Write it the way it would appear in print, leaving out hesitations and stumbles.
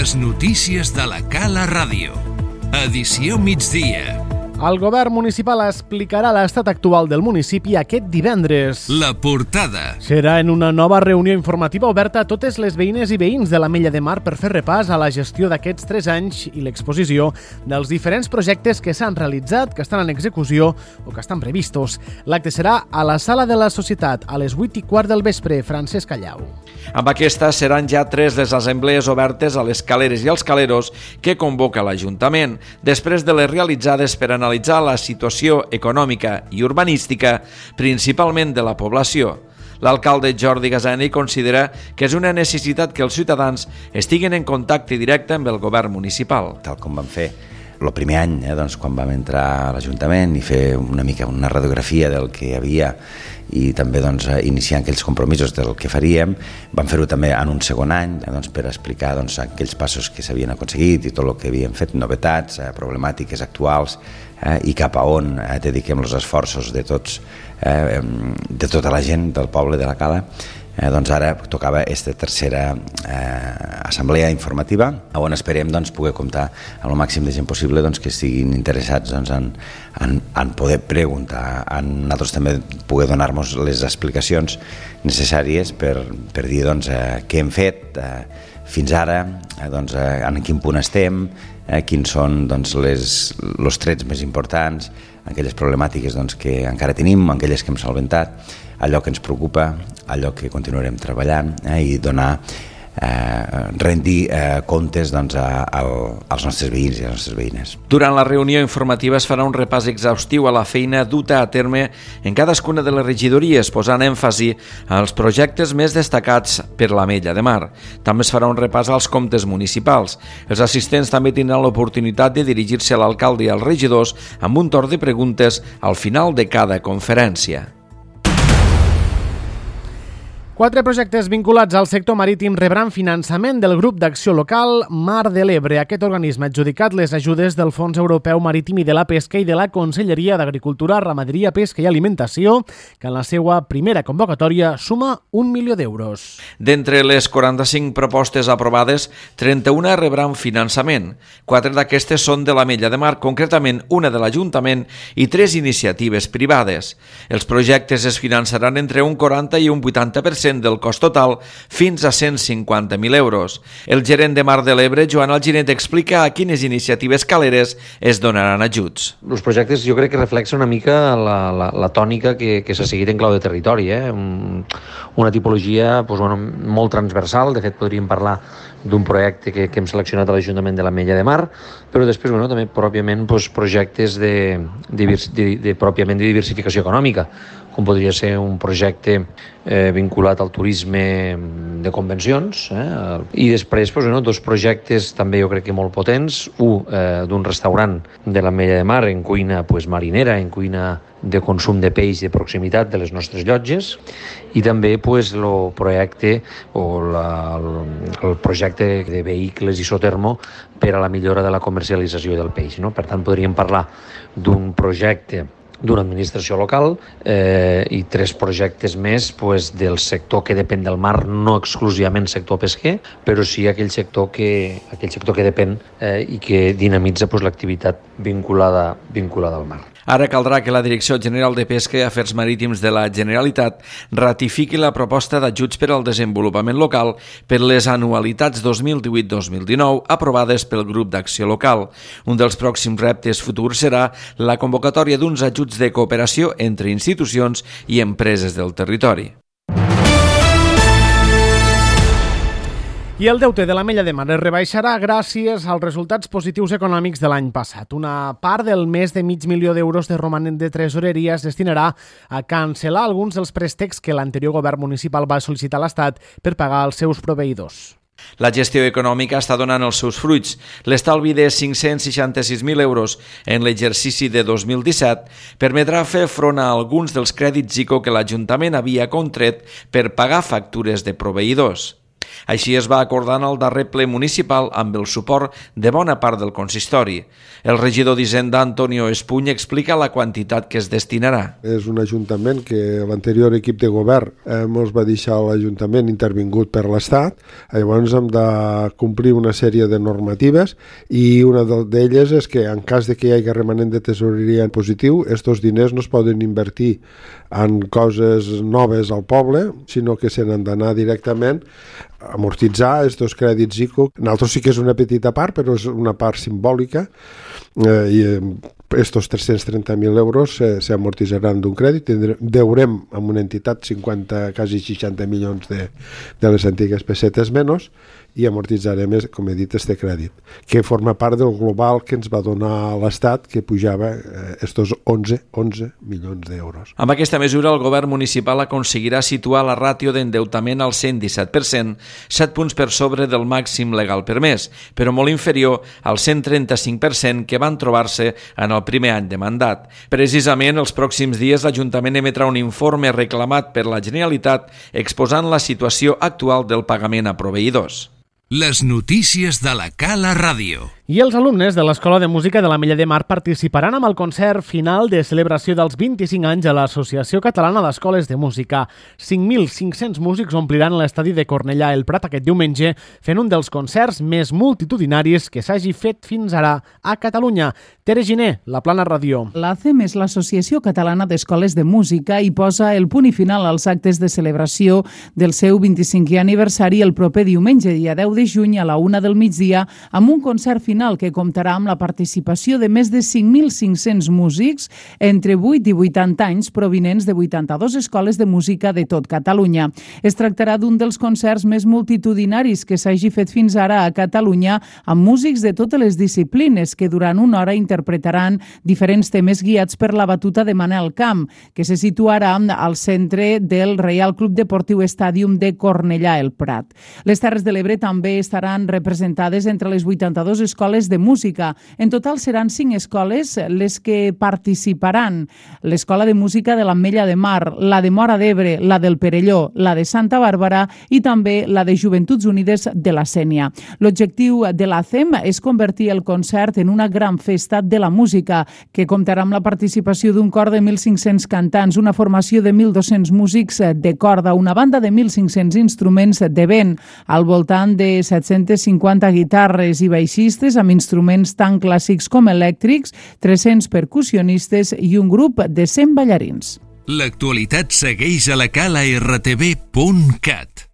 Les notícies de la Cala Ràdio. Edició migdia. El govern municipal explicarà l'estat actual del municipi aquest divendres. La portada. Serà en una nova reunió informativa oberta a totes les veïnes i veïns de l'Ametlla de Mar per fer repàs a la gestió d'aquests 3 anys i l'exposició dels diferents projectes que s'han realitzat, que estan en execució o que estan previstos. L'acte serà a la Sala de la Societat a les 8:15 del vespre. Francesc Callau. Amb aquesta seran ja 3 les assemblees obertes a les caleres i als caleros que convoca l'Ajuntament, després de les realitzades per analitzar la situació econòmica i urbanística, principalment de la població. L'alcalde Jordi Gasani considera que és una necessitat que els ciutadans estiguin en contacte directe amb el govern municipal. Tal com vam fer el primer any, quan vam entrar a l'Ajuntament i fer una mica una radiografia del que hi havia i també iniciar aquells compromisos del que faríem, vam fer-ho també en un segon any per explicar aquells passos que s'havien aconseguit i tot el que havíem fet, novetats, problemàtiques actuals i cap a on dediquem els esforços de tots, de tota la gent del poble de la Cala. Ara tocava aquesta tercera assemblea informativa on esperem poder comptar amb el màxim de gent possible que estiguin interessats en poder preguntar, en nosaltres també poder donar-nos les explicacions necessàries per dir què hem fet fins ara, en quin punt estem, quins són els trets més importants, aquelles problemàtiques que encara tenim, aquelles que hem solventat, allò que ens preocupa, allò que continuarem treballant i rendir comptes als nostres veïns i a les nostres veïnes. Durant la reunió informativa es farà un repàs exhaustiu a la feina duta a terme en cadascuna de les regidories, posant èmfasi als projectes més destacats per l'Ametlla de Mar. També es farà un repàs als comptes municipals. Els assistents també tindran l'oportunitat de dirigir-se a l'alcalde i als regidors amb un torn de preguntes al final de cada conferència. 4 projectes vinculats al sector marítim rebran finançament del grup d'acció local Mar de l'Ebre. Aquest organisme ha adjudicat les ajudes del Fons Europeu Marítim i de la Pesca i de la Conselleria d'Agricultura, Ramaderia, Pesca i Alimentació, que en la seva primera convocatòria suma 1 milió d'euros. D'entre les 45 propostes aprovades, 31 rebran finançament. 4 d'aquestes són de l'Ametlla de Mar, concretament una de l'Ajuntament i 3 iniciatives privades. Els projectes es finançaran entre un 40 i un 80% del cost total fins a 150.000 euros. El gerent de Mar de l'Ebre, Joan Alginet, explica a quines iniciatives caleres es donaran ajuts. Els projectes jo crec que reflexen una mica la tònica que s'ha seguit en clau de territori. Una tipologia molt transversal. De fet, podríem parlar d'un projecte que hem seleccionat a l'Ajuntament de l'Ametlla de Mar, però després també pròpiament projectes de diversificació econòmica, com podria ser un projecte vinculat al turisme de convencions, i després 2 projectes també jo crec que molt potents, un d'un restaurant de l'Ametlla de Mar en cuina marinera, en cuina de consum de peix de proximitat de les nostres llotges, i també el projecte el projecte de vehicles isotermo per a la millora de la comercialització del peix. Per tant, podríem parlar d'un projecte d'una administració local i 3 projectes més del sector que depèn del mar, no exclusivament sector pesquer, però sí aquell sector que depèn i que dinamitza l'activitat vinculada al mar. Ara caldrà que la Direcció General de Pesca i Afers Marítims de la Generalitat ratifiqui la proposta d'ajuts per al desenvolupament local per les anualitats 2018-2019 aprovades pel grup d'acció local. Un dels pròxims reptes futurs serà la convocatòria d'uns ajuts de cooperació entre institucions i empreses del territori. I el deute de l'Ametlla de Mar es rebaixarà gràcies als resultats positius econòmics de l'any passat. Una part del més de $500.000 de romanent de tresoreria es destinarà a cancel·lar alguns dels préstecs que l'anterior govern municipal va sol·licitar a l'Estat per pagar als seus proveïdors. La gestió econòmica està donant els seus fruits. L'estalvi de 566.000 euros en l'exercici de 2017 permetrà fer front a alguns dels crèdits ICO que l'Ajuntament havia contret per pagar factures de proveïdors. Així es va acordar en el darrer ple municipal amb el suport de bona part del consistori. El regidor d'Hisenda, Antonio Espuny, explica la quantitat que es destinarà. És un ajuntament que l'anterior equip de govern ens va deixar l'ajuntament intervingut per l'Estat. Llavors hem de complir una sèrie de normatives i una d'elles és que en cas de que hi hagi remanent de tesoreria en positiu, estos diners no es poden invertir en coses noves al poble, sinó que se n'han d'anar directament a amortitzar estos crèdits ICO. Nosaltres sí que és una petita part, però és una part simbòlica, i estos 330.000 euros s'amortitzaran d'un crèdit. Deurem amb una entitat 50, quasi 60 milions de les antigues pessetes menys, i amortitzarem, com he dit, este crèdit, que forma part del global que ens va donar l'Estat, que pujava estos 11 milions d'euros. Amb aquesta mesura, el govern municipal aconseguirà situar la ràtio d'endeutament al 117%, 7 punts per sobre del màxim legal permès, però molt inferior al 135% que van trobar-se en el primer any de mandat. Precisament, els pròxims dies l'Ajuntament emetrà un informe reclamat per la Generalitat exposant la situació actual del pagament a proveïdors. Les notícies de la Cala Ràdio. I els alumnes de l'Escola de Música de l'Ametlla de Mar participaran amb el concert final de celebració dels 25 anys a l'Associació Catalana d'Escoles de Música. 5.500 músics ompliran l'estadi de Cornellà el Prat aquest diumenge, fent un dels concerts més multitudinaris que s'hagi fet fins ara a Catalunya. Tere Giner, La Plana Ràdio. L'ACEM és l'Associació Catalana d'Escoles de Música i posa el punt i final als actes de celebració del seu 25è aniversari el proper diumenge, dia 10 de juny a la 1 del migdia, amb un concert final que comptarà amb la participació de més de 5.500 músics entre 8 i 80 anys provinents de 82 escoles de música de tot Catalunya. Es tractarà d'un dels concerts més multitudinaris que s'hagi fet fins ara a Catalunya, amb músics de totes les disciplines que durant una hora interpretaran diferents temes guiats per la batuta de Manel Camp, que se situarà al centre del Reial Club Deportiu Estàdium de Cornellà el Prat. Les Terres de l'Ebre també estaran representades entre les 82 escoles de música. En total seran 5 escoles les que participaran. L'Escola de Música de l'Ametlla de Mar, la de Móra d'Ebre, la del Perelló, la de Santa Bàrbara i també la de Joventuts Unides de la Sénia. L'objectiu de l'ACEM és convertir el concert en una gran festa de la música, que comptarà amb la participació d'un cor de 1.500 cantants, una formació de 1.200 músics de corda, una banda de 1.500 instruments de vent, al voltant de 750 guitarres i baixistes amb instruments tan clàssics com elèctrics, 300 percussionistes i un grup de 100 ballarins. L'actualitat segueix a la cala rtv.cat.